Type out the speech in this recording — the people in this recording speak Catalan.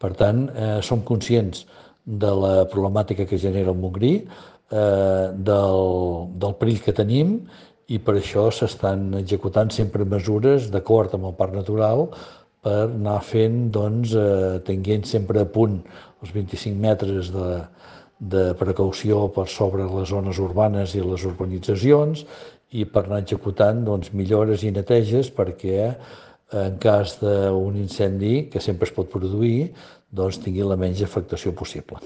Per tant, som conscients de la problemàtica que genera el Montgrí, del perill que tenim, i per això s'estan executant sempre mesures d'acord amb el Parc Natural per anar fent, doncs, tenint sempre a punt els 25 metres de precaució per sobre les zones urbanes i les urbanitzacions, i per anar executant, doncs, millores i neteges perquè en cas d'un incendi, que sempre es pot produir, doncs tingui la menys afectació possible.